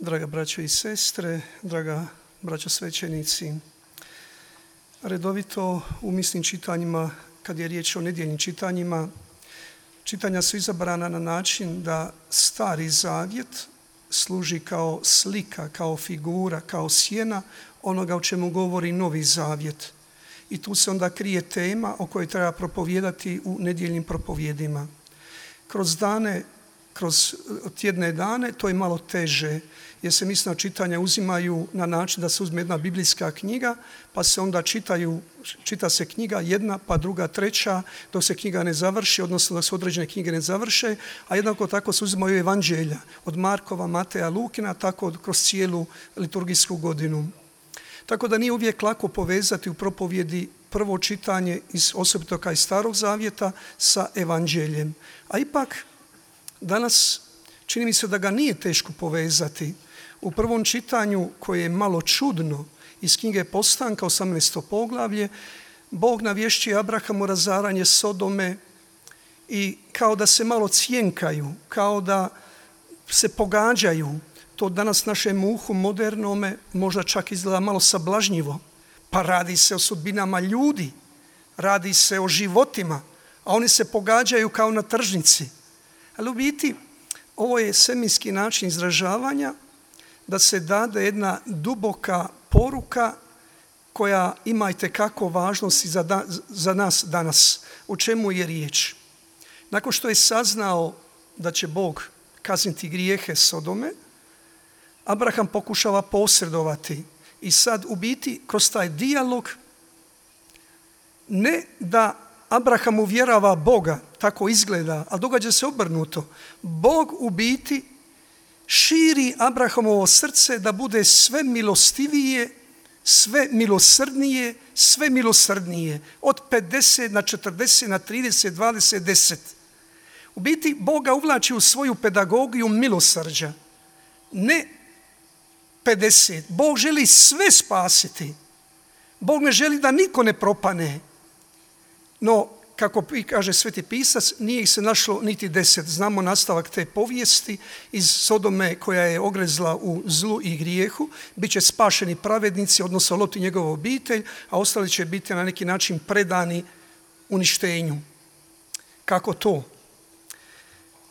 Draga braćo i sestre, draga braćo svećenici, redovito u misnim čitanjima, kad je riječ o nedjeljnim čitanjima, čitanja su izabrana na način da Stari Zavjet služi kao slika, kao figura, kao sjena onoga o čemu govori Novi Zavjet. I tu se onda krije tema o kojoj treba propovijedati u nedjeljnim propovjedima. Kroz tjedne dane to je malo teže, jer se misna čitanja uzimaju na način da se uzme jedna biblijska knjiga, pa se onda čita se knjiga jedna, pa druga, treća, dok se knjiga ne završi, odnosno dok se određene knjige ne završe, a jednako tako se uzimaju evanđelja od Markova, Mateja, Lukina, tako kroz cijelu liturgijsku godinu. Tako da nije uvijek lako povezati u propovjedi prvo čitanje osobito iz Starog Zavjeta sa evanđeljem. A ipak danas čini mi se da ga nije teško povezati. U prvom čitanju, koje je malo čudno, iz knjige Postanka, 18. poglavlje, Bog navješćuje Abrahamu razaranje Sodome i kao da se malo cjenkaju, kao da se pogađaju. To danas našem uhu modernome možda čak izgleda malo sablažnjivo. Pa radi se o sudbinama ljudi, radi se o životima, a oni se pogađaju kao na tržnici. Ali u biti ovo je seminski način izražavanja da se dade jedna duboka poruka koja ima itekako važnosti za nas danas. O čemu je riječ? Nakon što je saznao da će Bog kazniti grijehe Sodome, Abraham pokušava posredovati i sad u biti kroz taj dijalog ne da Abraham uvjerava Boga, tako izgleda, a događa se obrnuto. Bog u biti širi Abrahamovo srce da bude sve milostivije, sve milosrdnije, sve milosrdnije. Od 50 na 40, na 30, 20, 10. U biti Boga uvlači u svoju pedagogiju milosrđa. Ne 50. Bog želi sve spasiti. Bog ne želi da niko ne propane. No, kako kaže Sveti Pisac, nije ih se našlo niti 10. Znamo nastavak te povijesti iz Sodome koja je ogrezla u zlu i grijehu. Biće spašeni pravednici, odnosno Lot i njegova obitelj, a ostali će biti na neki način predani uništenju. Kako to?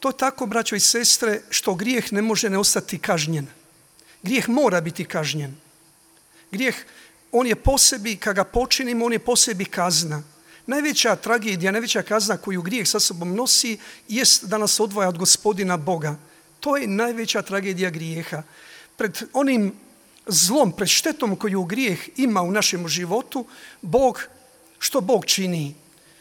To je tako, braćo i sestre, što grijeh ne može ne ostati kažnjen. Grijeh mora biti kažnjen. Grijeh, on je po sebi, kad ga počinimo, on je po sebi kazna. Najveća tragedija, najveća kazna koju grijeh sa sobom nosi jest da nas odvaja od Gospodina Boga. To je najveća tragedija grijeha. Pred onim zlom, pred štetom koju grijeh ima u našem životu, što Bog čini?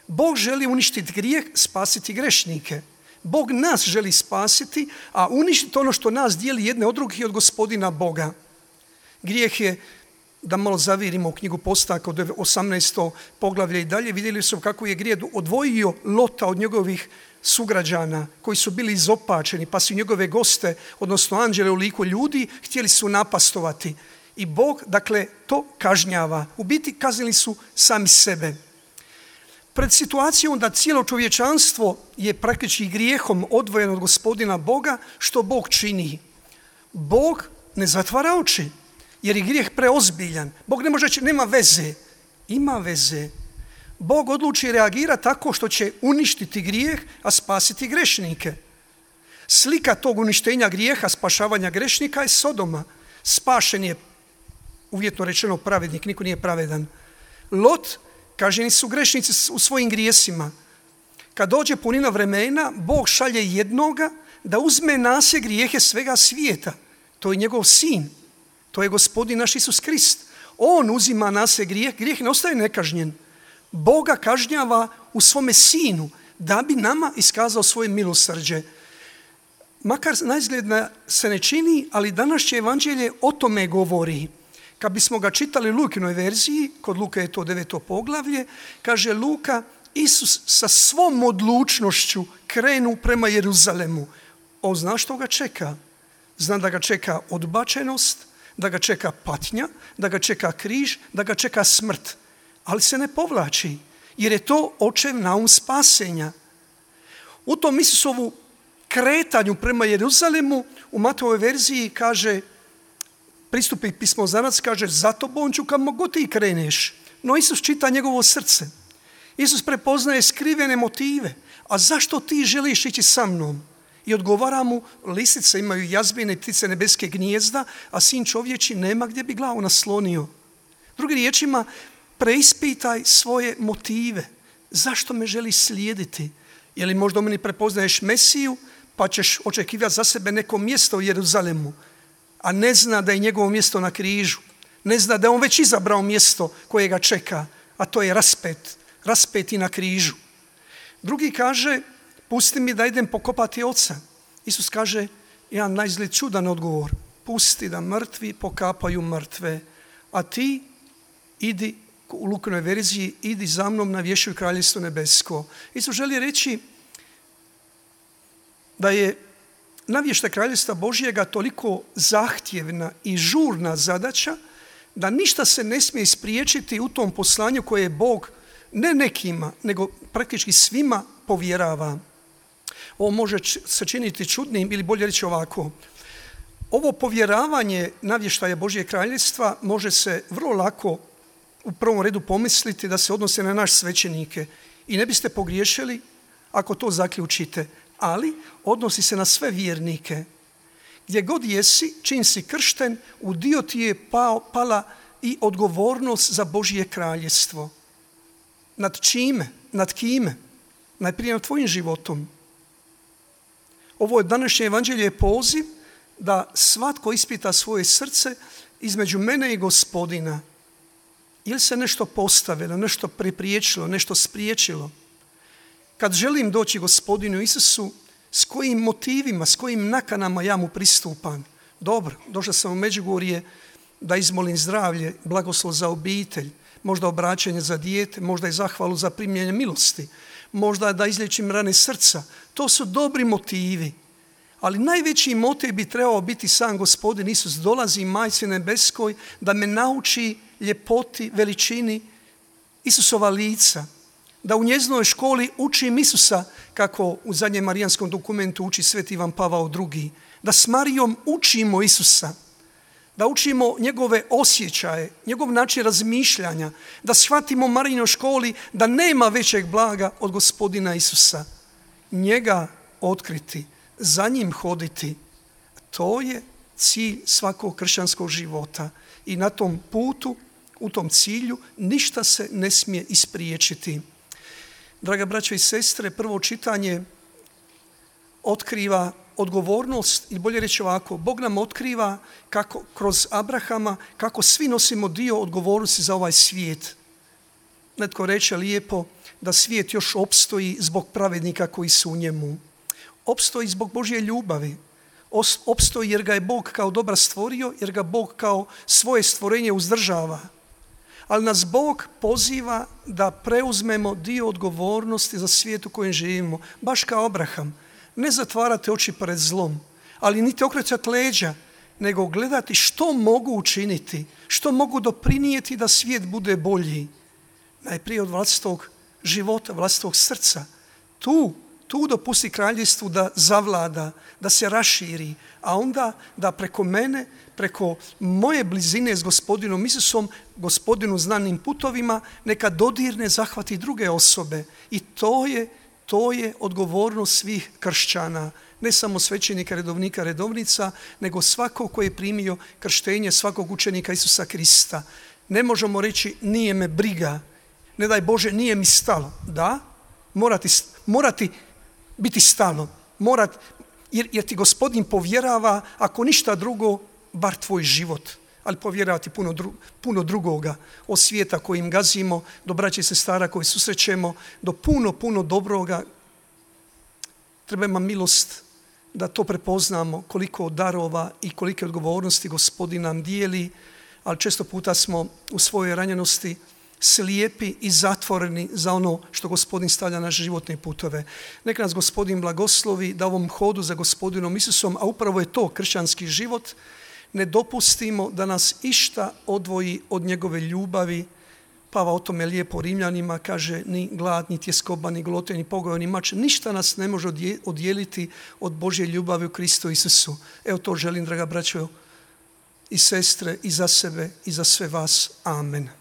Bog želi uništiti grijeh, spasiti grešnike. Bog nas želi spasiti, a uništiti ono što nas dijeli jedne od drugih i od Gospodina Boga. Grijeh je, da malo zavirimo u knjigu Postanka od 18. poglavlje i dalje, vidjeli su kako je grijeh odvojio Lota od njegovih sugrađana koji su bili izopačeni, pa su njegove goste, odnosno anđele u liku ljudi, htjeli su napastovati. I Bog, dakle, to kažnjava. U biti kaznili su sami sebe. Pred situacijom da cijelo čovječanstvo je praktički grijehom odvojeno od Gospodina Boga, što Bog čini? Bog ne zatvara oči, jer je grijeh preozbiljan. Bog ne može reći nema veze. Ima veze. Bog odluči reagirati tako što će uništiti grijeh, a spasiti grešnike. Slika tog uništenja grijeha, spašavanja grešnika je Sodoma. Spašen je, uvjetno rečeno, pravednik, niko nije pravedan. Lot, kažnjeni su grešnici u svojim grijesima. Kad dođe punina vremena, Bog šalje jednoga da uzme na se grijehe svega svijeta. To je njegov sin. To je Gospodin naš Isus Krist. On uzima na se grijeh ne ostaje nekažnjen. Boga kažnjava u svome sinu da bi nama iskazao svoje milosrđe. Makar naizgled se ne čini, ali današnje evanđelje o tome govori. Kad bismo ga čitali u Lukinoj verziji, kod Luka je to 9. poglavlje, kaže Luka, Isus sa svom odlučnošću krenu prema Jeruzalemu. On zna što ga čeka. Zna da ga čeka odbačenost, da ga čeka patnja, da ga čeka križ, da ga čeka smrt. Ali se ne povlači, jer je to očev naum spasenja. U tom Isusovu kretanju prema Jeruzalemu u Matovoj verziji kaže pristupi pismozanac, kaže za tobom ću kamo god ti kreneš. No Isus čita njegovo srce. Isus prepoznaje skrivene motive. A zašto ti želiš ići sa mnom? I odgovara mu, lisice imaju jazbine, ptice nebeske gnijezda, a sin čovječi nema gdje bi glavu naslonio. Drugim riječima, preispitaj svoje motive. Zašto me želiš slijediti? Je li možda u meni prepoznaješ Mesiju, pa ćeš očekivati za sebe neko mjesto u Jeruzalemu, a ne zna da je njegovo mjesto na križu. Ne zna da je on već izabrao mjesto koje ga čeka, a to je raspet i na križu. Drugi kaže, pusti mi da idem pokopati oca. Isus kaže, jedan naizgled čudan odgovor, pusti da mrtvi pokapaju mrtve, a ti idi, u Lukinoj verziji, idi za mnom na vješću kraljevstvo nebesko. Isus želi reći da je navještaj kraljevstva Božjega toliko zahtjevna i žurna zadaća da ništa se ne smije ispriječiti u tom poslanju koje je Bog ne nekima, nego praktički svima povjerava. Ovo može se činiti čudnim ili bolje reći ovako. Ovo povjeravanje navještaja Božjeg kraljevstva može se vrlo lako u prvom redu pomisliti da se odnose na naš svećenike i ne biste pogriješili ako to zaključite, ali odnosi se na sve vjernike. Gdje god jesi, čim si kršten, u dio ti je pala i odgovornost za Božje kraljevstvo. Nad čime? Nad kime? Najprije nad tvojim životom. Ovo je današnje evanđelje poziv da svatko ispita svoje srce između mene i Gospodina. Ili se nešto postavilo, nešto prepriječilo, nešto spriječilo. Kad želim doći Gospodinu Isusu, s kojim motivima, s kojim nakanama ja mu pristupam? Dobro, došao sam u Međugorje da izmolim zdravlje, blagoslov za obitelj, možda obraćanje za dijete, možda i zahvalu za primljenje milosti, možda da izliječim rane srca. To su dobri motivi. Ali najveći motiv bi trebao biti sam Gospodin Isus. Dolazi Majci nebeskoj da me nauči ljepoti, veličini Isusova lica. Da u njezinoj školi učim Isusa kako u zadnjem marijanskom dokumentu uči Sveti Ivan Pavao II. Da s Marijom učimo Isusa. Da učimo njegove osjećaje, njegov način razmišljanja. Da shvatimo u Marijinoj školi da nema većeg blaga od Gospodina Isusa. Njega otkriti, za njim hoditi. To je cilj svakog kršćanskog života. I na tom putu, u tom cilju, ništa se ne smije ispriječiti. Draga braćo i sestre, prvo čitanje otkriva odgovornost, ili bolje reći ovako, Bog nam otkriva kako kroz Abrahama, kako svi nosimo dio odgovornosti za ovaj svijet. Netko reče lijepo da svijet još opstoji zbog pravednika koji su u njemu. Opstoji zbog Božje ljubavi. Opstoji jer ga je Bog kao dobar stvorio, jer ga Bog kao svoje stvorenje uzdržava. Ali nas Bog poziva da preuzmemo dio odgovornosti za svijet u kojem živimo. Baš kao Abraham. Ne zatvarate oči pred zlom, ali niti okrećati leđa, nego gledati što mogu učiniti, što mogu doprinijeti da svijet bude bolji. Najprije od vlastitog života, vlastitog srca. Tu dopusti kraljevstvu da zavlada, da se raširi, a onda da preko mene, preko moje blizine s Gospodinom Isusom, Gospodinu znanim putovima, neka dodirne, zahvati druge osobe. I to je odgovornost svih kršćana, ne samo svećenika, redovnika, redovnica, nego svakog koji je primio krštenje, svakog učenika Isusa Krista. Ne možemo reći nije me briga, ne daj Bože nije mi stalo. Da, morati biti stalo, jer ti Gospodin povjerava, ako ništa drugo, bar tvoj život, ali povjeravati puno drugoga, od svijeta kojim gazimo, do braće i sestara koji susrećemo, do puno dobroga. Treba nam milost da to prepoznamo, koliko darova i kolike odgovornosti Gospodin nam dijeli, ali često puta smo u svojoj ranjenosti slijepi i zatvoreni za ono što Gospodin stavlja na životne putove. Neka nas Gospodin blagoslovi da ovom hodu za Gospodinom Isusom, a upravo je to kršćanski život, ne dopustimo da nas išta odvoji od njegove ljubavi. Pavao o tome lijepo Rimljanima kaže, ni glad, ni tjeskoba, ni golote, ni pogoj, ni mač, ništa nas ne može odjeliti od Božje ljubavi u Kristu Isusu. Evo to želim, draga braćo, i sestre, i za sebe, i za sve vas. Amen.